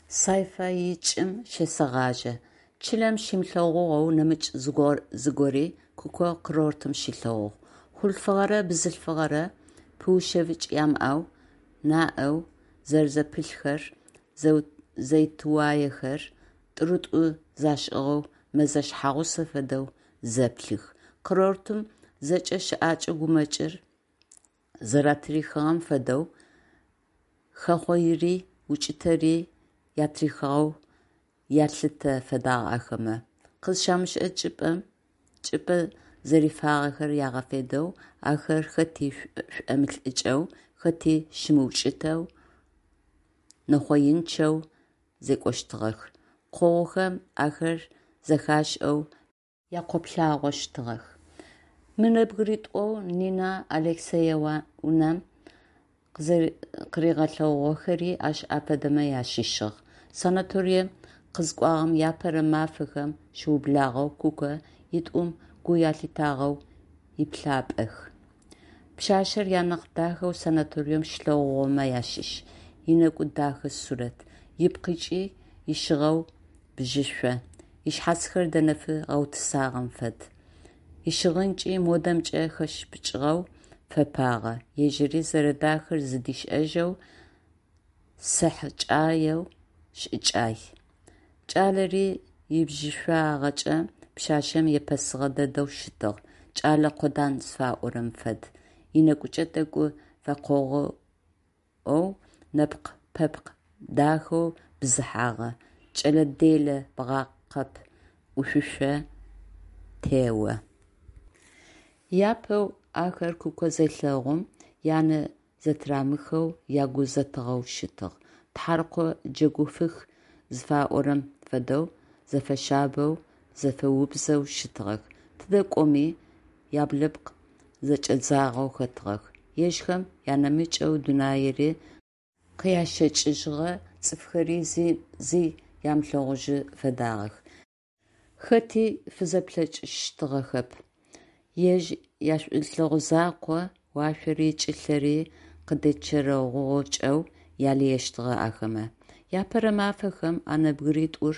Сайфаикӏым щесэгъажьэ. Чылэм щимылъэгъугъэу нэмыкӏ зыгори Куко курортым щилъэгъугъ. Хъулъфыгъэрэ бзылъфыгъэрэ пыушъэфыкӏ ямыӏэу, наӏэу зэрэзэпылъхэр, зэутыуаехэр, тӏурытӏу зашӏыгъэу мэзэ шъхьэгъусэ фэдэу зэплъых. Курортым зэкӏэ щыӏэкӏэ гумэкӏыр зэратырихыгъэм фэдэу, хэхъоири укӏытэри атырихыгъэу ялъытэ фэдагъ ахэмэ. Къызщамышӏэ чӏыпӏэ зэрифагъэхэр ягъэфедэу, ахэр хэти шӏомылӏыкӏэу, хэти щымыукӏытэу, нэхъоинчъэу зекӏощтыгъэх, къогъухэм ахэр зэхашӏэу якъоплъагъощтыгъэх. Мы нэбгыритӏоу Нина Алексеевнам къыригъэлъэгъугъэхэри ащ афэдэмэ ащыщыгъ. Санаторием къызыкӏуагъэм иапэрэ мафэхэм щыублагъэу Куко итӏум гу алъитагъэу иплъапӏэх. Пшъашъэр анахь дахэу санаторием щилъэгъугъэмэ ащыщ. Ынэкӏу дахэ сурэт, ыпкъыкӏи ищыгъэу бжьышъо, ышъхьацхэр дэнэфы гъэутысагъэм фэд. Ищыгъынкӏи модэмкӏэ хэшыпыкӏыгъэу фэпагъэ, ежьыри зэрэдахэр зыдишӏэжьэу, сэхъэкӏаеу шӏыкӏай. Кӏалэри ибжьышъуагъэкӏэ пшъашъэм епэсыгъэ дэдэу щытыгъ, кӏэлэ къодан зыфаӏорэм фэд, ынэкӏучӏэ тӏэкӏу фэкъогъоу, нэпкъ-пэпкъ дахэу бзыхьагъэ, кӏэлэ делэ бгъэкъэб ӏушъошъо тео. Апэу ахэр Куко зелъэгъум, янэ зэтырамыхэу, ягу зэтыгъэу щытыгъ. Тхьаркъо джэгуфых зыфаӏорэм фэдэу, зэфэшъабэу, зэфэубзэу щытыгъэх, тыдэ кӏоми яблыпкъ зэкӏэдзагъэу хэтыгъэх, ежьхэм анэмыкӏэу дунаири къящэкӏыжьыгъэ цӏыфхэри зи амылъэгъужьы фэдагъэх, хэти фызэплъэкӏыщтыгъэхэп, ежь яшӏулъэгъу закъо уашъори чӏылъэри къыдэчэрэгъукӏэу ялыещтыгъэ ахэмэ. Иапэрэ мафэхэм а нэбгыритӏур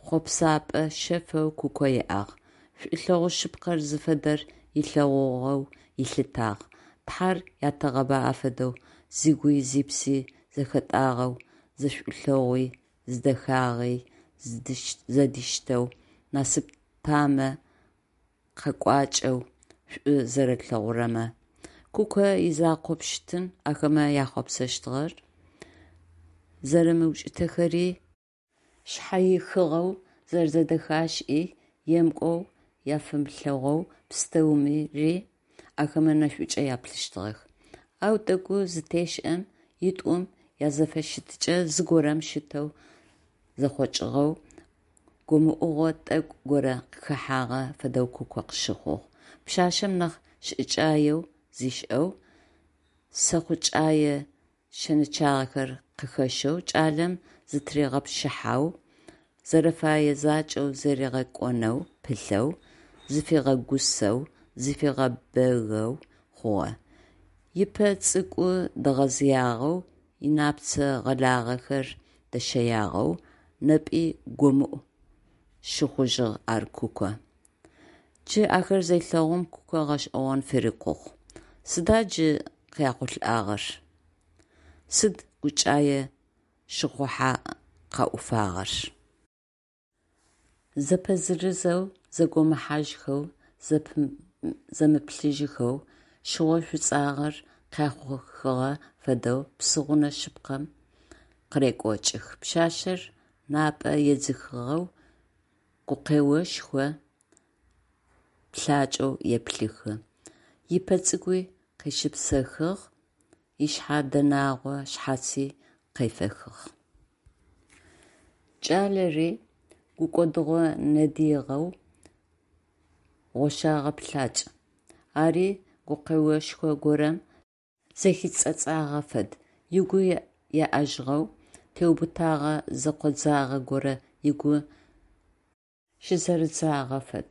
хъопсэпӏэ шъэфэу Куко иӏагъ, шӏулъэгъу шъыпкъэр зыфэдэр ылъэгъугъэу ылъытагъ. Тхьэр ятагъэба афэдэу зыгуи зыпси зэхэтӏагъэу, зишӏулъэгъуи зидэхагъи зэдиштэу, насып тамэ къэкӏуакӏэу шӏу зэрэлъэгъурэмэ. Куко изакъопщтын ахэмэ яхъуапсэщтыгъэр, зэрэмыукӏытэхэри, шъхьэихыгъэу зэрэзэдэхашӏи, емыкӏоу афэмылъэгъоу пстэури ахэмэ нэшӏукӏэ яплъыщтыгъэх. Ау тӏэкӏу зытешӏэм, итӏум язэфыщытыкӏэ зыгорэм щытэу зэхъокӏыгъэу, гомыӏугъо тӏэкӏу горэ къыхэхьагъэ фэдэу Куко къыщыхъугъ. Пшъашъэм нахь шӏыкӏаеу зишӏэу, сэхъукӏае шэнычъагъэхэр къыхэщэу, кӏалэм зытыригъэпщыхьэу, зэрэфэе закӏэу зэригъэкӏонэу пылъэу, зыфигъэгусэу, зыфигъэбэгэу хъугъэ. Ыпэ цӏыкӏу дэгъэзыягъэу, ынапцэ гъэлагъэхэр дэщэягъэу, непи гомыӏу щыхъужьыгъ ар Куко. Джы ахэр зелъэгъум Куко гъэшӏэгъон фырикъугъ. Сыда джы къяхъулӏагъэр? Сыд гукӏае щыхъухьа къаӏуфагъэр? Зэпэзырызэу, зэгомыхьажьхэу, зэмыплъыжьхэу, шъыгъо шӏуцӏагъэр къяхъухыгъэ фэдэу псыгъунэ шъыпкъэм къырекӏокӏых. Пшъашъэр напӏэ едзыхыгъэу, гукъэошхо плъакӏэу еплъыхы. Ыпэ цӏыкӏуи къещыпсэхыгъ, ышъхьэ дэнагъо шъхьаци къефэхыгъ. Кӏалэри гукӏодыгъо нэгъыигъэу, гъощагъэ плъакӏ. Ари гукъэошхо горэм зэхицӏэцӏагъэ фэд, ыгу еӏэжьыгъэу, теубытэгъэ зэкъодзагъэ горэ ыгу щызэрыдзагъэ фэд.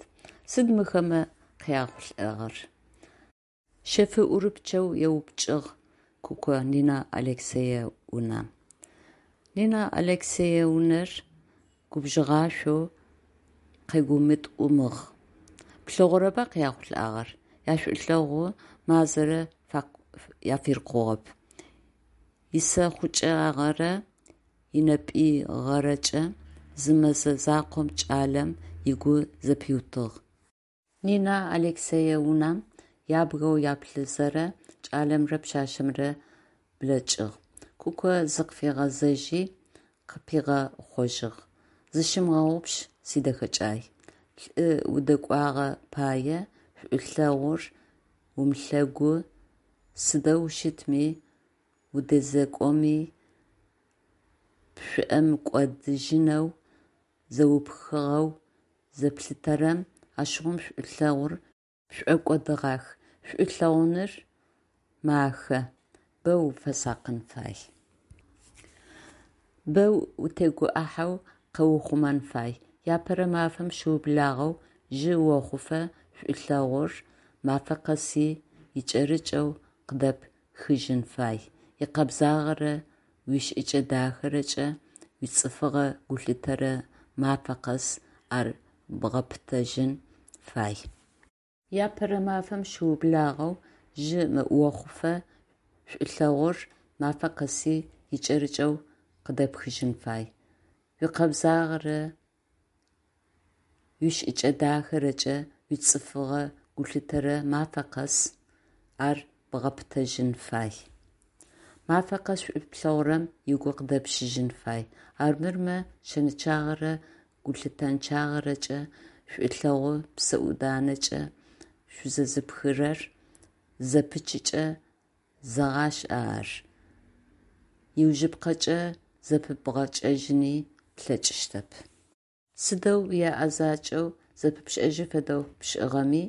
Сыд мыхэмэ къяхъулӏагъэр? Шъэфыӏурыпчъэу еупчӏыгъ Куко Нина Алексеевнам. Нина Алексеевнар губжыгъашъоу къэгумытӏумыгъ: «Плъэгъурэба къяхъулӏагъэр? Яшӏулъэгъу мазэрэ афырикъугъэп. Исэхъукӏагъэрэ инэпӏыигъэрэкӏэ зы мэзэ закъом кӏалэм ыгу зэпиутыгъ». Нина Алексеевнам ябгэу яплъызэрэ кӏалэмрэ пшъашъэмрэ блэкӏыгъ, Куко зыкъыфигъэзэжьи, къыпигъэхъожьыгъ: «Зыщымыгъэгъупш, сидэхэкӏай, лӏы удэкӏуагъэ пае шӏулъэгъур умылъэгу, сыдэу щытми удэзекӏоми пшӏомыкӏодыжьынэу зэупхыгъэу зыплъытэрэм, ащыгъум шӏулъэгъур пшӏокӏодыгъах, шӏу лъэгъуныр махэ, бэ уфэсакъын фай. Бэ утегуӏыхьэу къэуухъумэн фай. Апэрэ мафэм щыублагъэу жъы охъуфэ шӏулъэгъур мафэ къэси икӏэрыкӏэу къыдэпхыжьын фай, икъэбзагъэрэ уишӏыкӏэ дахэрэкӏэ, уицӏыфыгъэ гулъытэрэ мафэ къэс ар бгъэпытэжьын фай. Апэрэ мафэм щыублагъэу жъы охъуфэ шӏулъэгъур мафэ къэси икӏэрыкӏэу къыдэпхыжьын фай, уикъэбзагъэрэ уишӏыкӏэ дахэрэкӏэ, уицӏыфыгъэ гулъытэрэ мафэ къэс ар бгъэпытэжьын фай. Мафэ къэс шӏу плъэгъурэм ыгу къыдэпщыжьын фай, армырмэ шэнычъагъэрэ гулъытэнчъагъэрэкӏэ шӏулъэгъу псэӏуданэкӏэ шъузэзыпхырэр зызэпычыкӏэ, зэгъашӏэ ар, иужьыпкъэкӏэ зэпыбгъэкӏэжьыни плъэкӏыщтэп. Сыдэу уеӏэзакӏэу зэпыпшӏэжьы фэдэу пшӏыгъэми,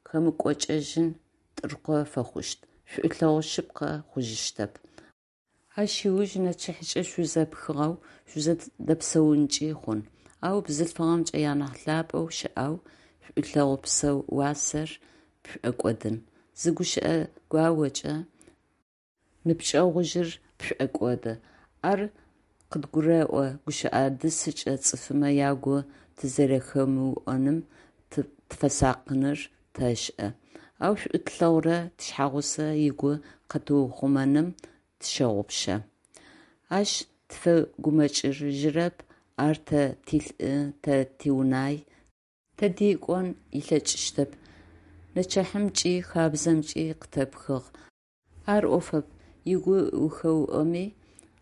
хэмыкӏокӏэжьын тӏыркъо фэхъущт, шӏулъэгъу шъыпкъэ хъужьыщтэп. Ащ ыуж нэчыхькӏэ шъузэпхыгъэу шъузэдэпсэункӏи хъун, ау бзылъфыгъэмкӏэ анахь лъапӏэу щыӏэу шӏулъэгъу псэ уасэр пшӏокӏодын, зы гущыӏэ гуаокӏэ ныбджэгъужъыр пшӏокӏоды. Ар къыдгурэӏо, гущыӏэ дысыкӏэ цӏыфмэ ягу тызэрэхэмыӏоным тыфэсакъыныр тэшӏэ, ау шӏу тлъэгъурэ тишъхьэгъусэ ыгу къэтыухъумэным тыщэгъупшэ. Ащ тыфэгумэкӏыжьырэп, ар тэ тилӏы, тэ тиунай, тэди кӏон ылъэкӏыщтэп, нэчыхьымкӏи хабзэмкӏи къытэпхыгъ, ар ӏофэп, ыгу ухэуӏоми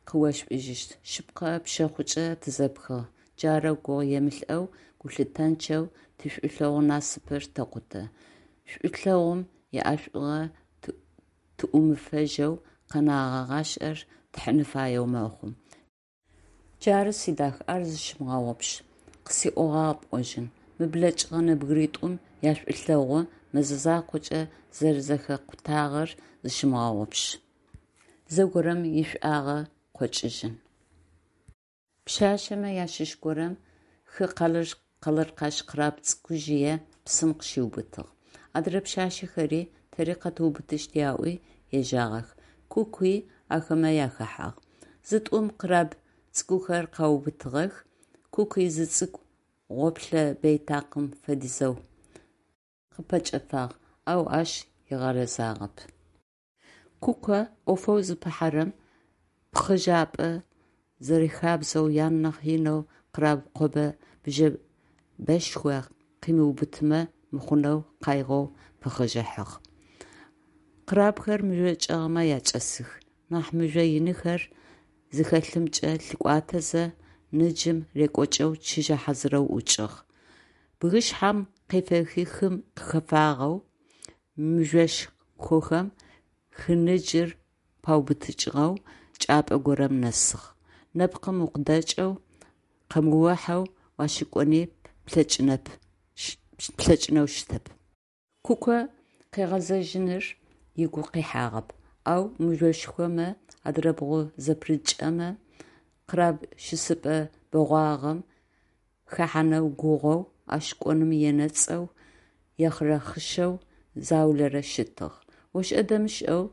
къыошӏужьыщт. Шъыпкъэ, пшъэхъукӏэ тызэпхыгъ, джарэу гугъуемылӏэу, гулъытэнчъэу тишӏулъэгъу насыпыр тэкъутэ, шӏулъэгъум иӏэшӏугъэ тыӏумыфэжьэу къэнэгъэ гъашӏэр тхьын фаеу мэхъу. Джары, сидах, ар зыщымыгъэгъупш, къысиӏогъагъ пӏожьын, мы блэкӏыгъэ нэбгыритӏум яшӏулъэгъу мэзэ закъокӏэ зэрэзэхэкъутагъэр зыщымыгъэгъупш, зэгорэм ишӏуагъэ къокӏыжьын. Пшъашъэмэ ащыщ горэм хы къалыркъащ краб цӏыкӏужъые псым къыщиубытыгъ. Адырэ пшъашъэхэри тэри къэтыубытыщт аӏуи ежьагъэх. Кукуи ахэмэ ахэхьагъ. Зытӏум краб цӏыкӏухэр къаубытыгъэх, Куки зы цӏыкӏу, гъоплъэ бэйтакъым фэдизэу, къыпэкӏэфагъ, ау ащ ыгъэрэзагъэп. Куко ӏофэу зыпыхьэрэм пхъыжьапӏэ зэрихабзэу, ян нахь инэу краб къобэ-бжъэбэшхо къимыубытымэ мыхъунэу къайгъэу пыхъыжьыхьагъ. Крабхэр мыжъо чӏэгъмэ ачӏэсых. Нахь мыжъо иныхэр зыхэлъымкӏэ лъыкӏуатэзэ, ныджым рекӏокӏэу чыжьэ хьазырэу ӏукӏыгъ. Бгышъхьэм къефэхи хым къыхэфагъэу, мыжъошхохэм хы ныджыр паубытыкӏыгъэу чӏыпӏэ горэм нэсыгъ. Нэпкъым укъыдэкӏэу, къэмыохьэу уащыкӏони плъэкӏынэу щытэп. Куко къыгъэзэжьыныр ыгу къихьагъэп, ау мыжъошхомэ адырабгъу зэпырыкӏымэ, краб щысыпӏэ бэгъуагъэм хэхьанэу гугъоу, ащ кӏоным енэцӏэу, ехъырэхъышэу заулэрэ щытыгъ. ОшӀэ-дэмышӀэу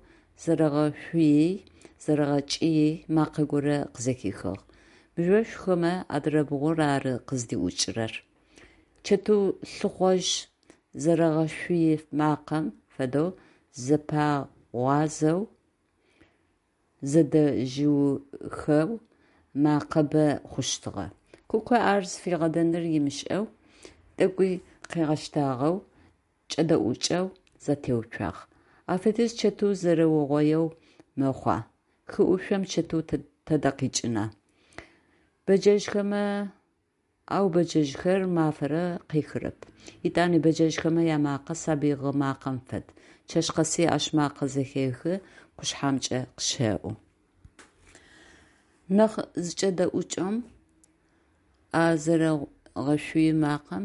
зэрэгъэшъуий, зэрэгъэкӀый макъэ горэ къызэхихыгъ. Мыжъошхомэ адырабгъур ары къыздиӏукӏырэр. Чэтыу лъыхъожь зэрэгъэшъуй макъэм фэдэу зэпагъуазэу, зэдэжъыухэу мэкъэ бэ хъущтыгъэ. Куко ар зыфигъэдэныр ымышӏэу, тӏэкӏуи къыгъэщтагъэу, кӏэдэӏукӏэу зэтеуцуагъ. Ащ фэдиз чэтыу зэрэугъоеу мэхъуа, хы ӏушъом чэтыу тэдэ къикӏына? Бэджэжъхэмэ, ау бэджэжъхэр мафэрэ къехырэп. Етӏани бэджэжъхэмэ ямакъэ сабый гъы макъэм фэд. Чэщ къэси ащ макъэ зэхехы, къушъхьэмкӏэ къыщэӏу. Нахь зыкӏэдэӏукӏым, а зэрэгъэшъуй макъэм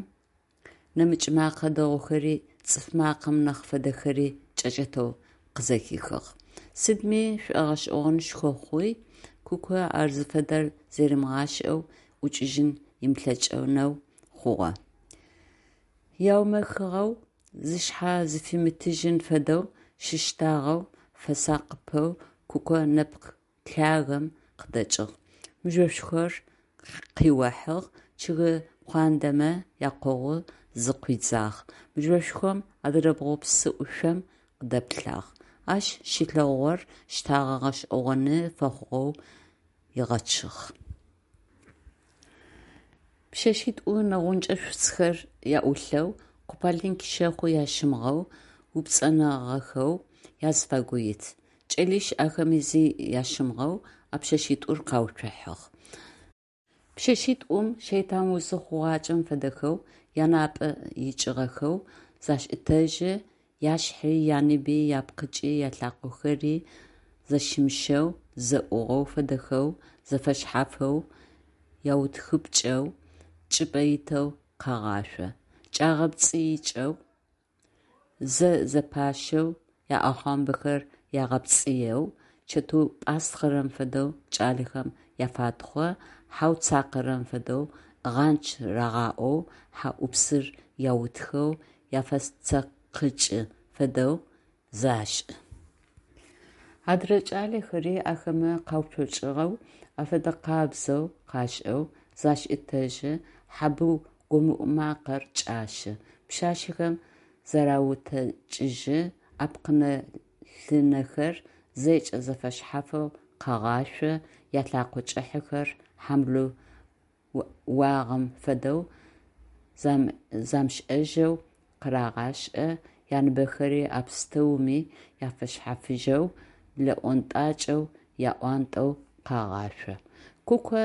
нэмыкӏ мэкъэ дэгъухэри, цӏыф макъэм нахь фэдэхэри кӏэкӏэтэу къызэхихыгъ. Сыдми шӏогъэшӏэгъонышхо хъуи, Куко ар зыфэдэр зэримыгъашӏэу ӏукӏыжьын ымылъэкӏынэу хъугъэ. Яумэхыгъэу, зышъхьэ зыфимытыжьын фэдэу щыщтагъэу, фэсакъыпэу Куко нэпкъ лъагэм къыдэкӏыгъ, мыжъошхор къыухьыгъ, чъыг куандэмэ якъогъу зыкъуидзагъ, мыжъошхом адырабгъу псы ӏушъом къыдэплъагъ. Ащ щилъэгъугъэр щтагъэ гъэшӏэгъоны фэхъугъэу ыгъэчъыгъ. Пшъэшъитӏу нэгъунджэ шӏуцӏэхэр аӏулъэу, купалинки щэхъу ащымыгъэу, упцӏэнагъэхэу языфагу ит. Кӏэлищ ахэми зи ащымыгъэу а пшъэшъитӏур къауцухьагъ. Пшъэшъитӏум шэйтан узы хъугъакӏэм фэдэхэу, янапӏэ икӏыгъэхэу зашӏытэжьы, яшъхьи, яныби, япкъыкӏи, ялъакъохэри зэщымыщэу, зэӏугъэу фэдэхэу, зэфэшъхьафэу, яутхыпкӏэу, чӏыпӏэ итэу къагъашъо. Кӏагъэпцӏыикӏэу, зэ зэпащэу, яӏэхъуамбэхэр ягъэпцӏыеу, чэтыу пӏастхъэрэм фэдэу кӏалэхэм яфатхъо, хьэу цакъэрэм фэдэу «ӏыгъанч» рагъаӏоу, хьэ ӏупсыр яутхэу, яфэцэкъыкӏы фэдэу зашӏы. Адырэ кӏалэхэри ахэмэ къяуцолӏэу, афэдэкъабзэу къашӏэу, зашӏытэжьы, хьэ быу гомыӏу макъэр кӏащы. Пшъашъэхэм зараутэкӏыжьы, апкъынэ-лынэхэр зэкӏэ зэфэшъхьафэу къагъашъо, ялъэкъо кӏыхьэхэр хьамлыу уагъэм фэдэу замышӏэжьэу къарагъашӏэ, яныбэхэри а пстэуми афэшъхьафыжьэу, блэӏонтӏакӏэу яӏуантӏэу къагъашъо. Куко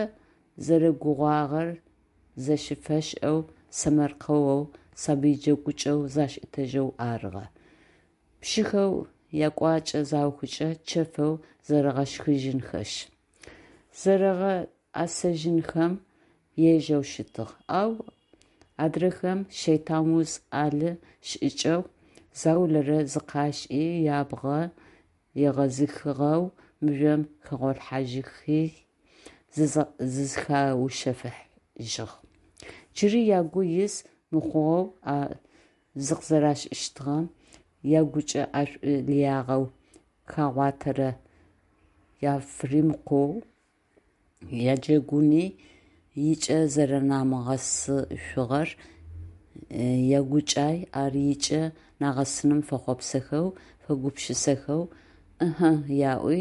зэрэгугъагъэр зэщыфэшӏэу, сэмэркъэоу, сабый джэгукӏэу зашӏытэжьэу арыгъэ. Пшъыхэу якӏуакӏэ заухыкӏэ, чэфэу зэрэгъэшхыжьынхэшъ, зэрэгъэӏэсэжьынхэм ежэу щытыгъ, ау адрэхэм шэйтан уз ӏэлы шӏыкӏэу заулэрэ зыкъашӏи, ябгъэ егъэзыхыгъэу мыжъом хэгъолъхьажьыхи, зызхаушъэфыжьыгъ. Джыри ягу из мыхъугъэу а зыкъызэрашӏыщтыгъэм ягучӏэ ӏэшӏу лыягъэу хагъуатэрэр яфыримыкъоу, яджэгуни ыкӏэ зэрэнамыгъэсышъугъэр ягукӏай, ар ыкӏэ нагъэсыным фэхъуапсэхэу, фэгупшысэхэу «ӏыхьы» яӏуи,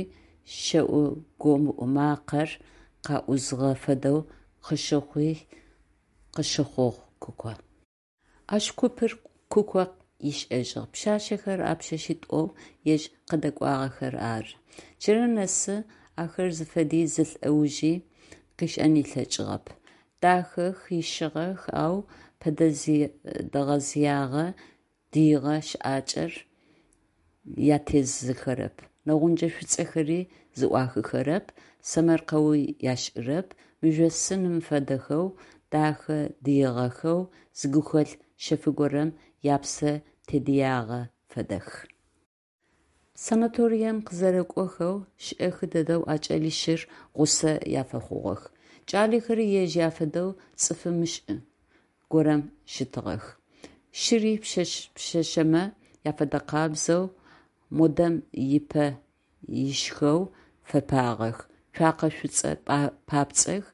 щэӏу гомыӏу макъэр къаӏузыгъэ фэдэу къыщыхъугъ Куко. Ащ купыр Куко ышӏэжьыгъ. Пшъашъэхэр а пшъэшъитӏоу ежь къыдэкӏуагъэхэр ары. Джырэ нэсы ахэр зыфэди зы лӏэужи къышӏэн ылъэкӏыгъэп. Дахэх, ищыгъэх, ау пэ дэгъэзыягъэ, дыигъэ щыӏакӏэр ятезыхэрэп, нэгъунджэ шӏуцӏэхэри зыӏуахыхэрэп, сэмэркъэуи ашӏырэп, мыжъосыным фэдэхэу дахэ дыигъэхэу, зы гухэлъ шъэф горэм япсэ тедыягъэ фэдэх. Санаторием къызэрэкӏохэу шӏэхы дэдэу а кӏэлищыр гъусэ афэхъугъэх. Кӏалэхэри ежь афэдэу цӏыф мышӏу горэм щытыгъэх. Щыри пшъашъэмэ афэдэкъабзэу модэм ыпэ ишъхэу фэпагъэх, цуакъэ шӏуцӏэ папцӏэх.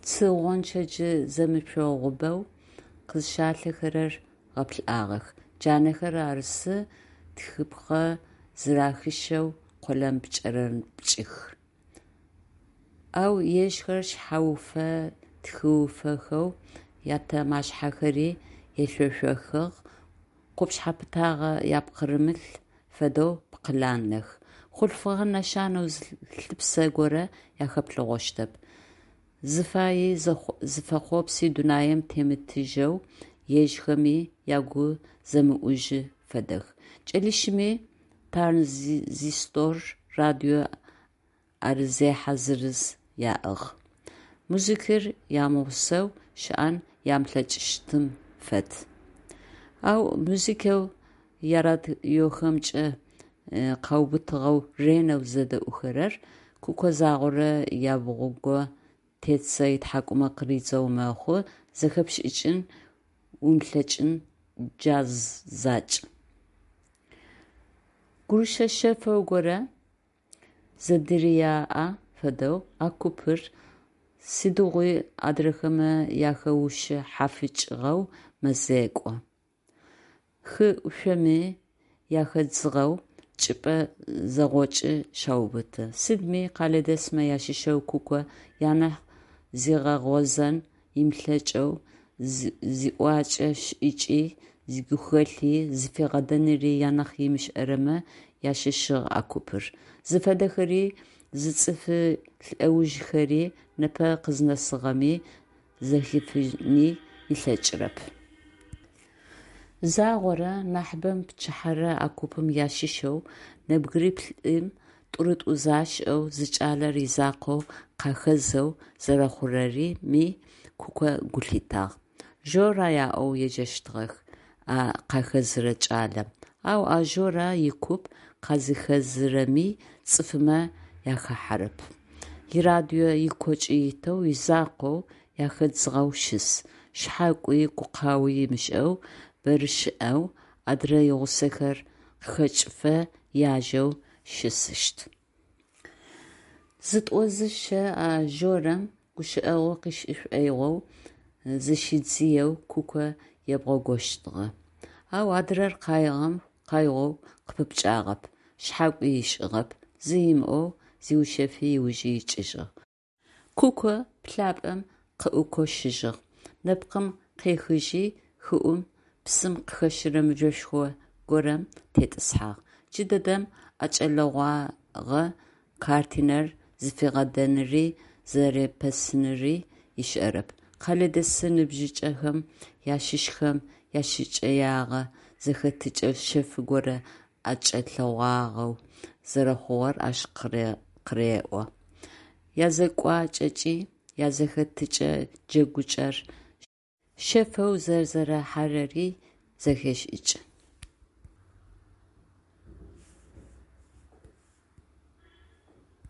Цы гъончэдж зэмышъогъубэу къызщалъэхэрэр гъэплъыгъэх, джанэхэр арысы тхыпхъэ зырахышъэу къолэн пкӏэрэпкӏых. Ау ежьхэр шъхьэуфэ тхыуфэхэу, ятэмашъхьэхэри ешъошъохыгъ, къупшъхьэ пытагъэ апкъырымылъ фэдэу пкъыланлэх. Хъулъфыгъэ нэшанэу зы лъыпсэ горэ ахэплъэгъощтэп. Зыфаи зыфэхъопси дунаим темытыжьэу, ежьхэми ягу зэмыӏужьы фэдэх. Кӏэлищыми тарнзистор радио ӏэрызехьэ зырыз яӏыгъ. Музыкэр ямыгъусэу щыӏэн амылъэкӏыщтым фэд. Ау музыкэу ярадиохэмкӏэ къаубытыгъэу ренэу зэдэӏухэрэр, Куко загъорэ ябгъугъо тетзэ ытхьакӏумэ къыридзэу мэхъу, зэхэпшӏыкӏын умылъэкӏын джаз закӏ. Гурышэ шъэф горэ зэдыряӏэ фэдэу а купыр сыдигъуи адрэхэмэ ахэушъхьафыкӏыгъэу мэзекӏо. Хы ӏушъоми яхэдзыгъэу чӏыпӏэ зэгъокӏы щаубыты. Сыдми къэлэдэсмэ ащыщэу Куко анахь зигъэгъозэн ымылъэкӏэу, зиӏокӏэ-шӏыкӏи, игухэлъи зыфигъэдэныри анахь ымышӏэрэмэ ащыщыгъ а купыр. Зыфэдэхэри, зыцӏыфы лӏэужхэри непэ къызнэсыгъэми зэхифыни ылъэкӏырэп. Загъорэ, нахьыбэм пчыхьэрэ а купым ащыщэу нэбгыриплӏым тӏурытӏу зашӏэу, зы кӏалэр изакъоу къахэзэу зэрэхъурэми Куко гу лъитагъ. Жора аӏоу еджэщтыгъэх а къахэзырэ кӏалэм. Ау а Жорэ икуп къазыхэзырэми цӏыфымэ ахахьэрэп. Ирадио ыкокӏы итэу изакъоу, яхэдзыгъэу щыс, шъхьакӏуи гукъауи ымышӏэу бэрэ щыӏэу, адрэ игъусэхэр къыхэкӏыфэ яжэу щысыщт. Зытӏозыщэ а Жорэм гущыӏэгъу къышӏы шӏоигъоу зыщидзыеу Куко ебгъогощтыгъэ. Ау адрэр къаигъэм къаигъэу къыпыпкӏагъэп, шъхьакӏуи ышӏыгъэп, зи ымыӏоу зиушъэфи ыужы икӏыжьыгъ. Куко плъапӏэм къыӏукощыжьыгъ. Нэпкъым къехыжьи, хыӏум, псым къыхэщырэ мыжъошхо горэм тетӏысхьагъ. Джыдэдэм ӏэкӏэлъэгъуагъэ картинэр зыфигъэдэныри зэрепэсыныри ышӏэрэп. Къэлэдэс ныбжьыкӏэхэм ащыщхэм яшӏыкӏэягъэ зэхэтыкӏэ шъэф горэ ӏэкӏэлъэгъуагъэу зэрэхъугъэр ащ къыреӏо. Язекӏуакӏэкӏи, язэхэтыкӏэ джэгукӏэр шъэфэу зэрэзэрахьэрэри зэхешӏыкӏы.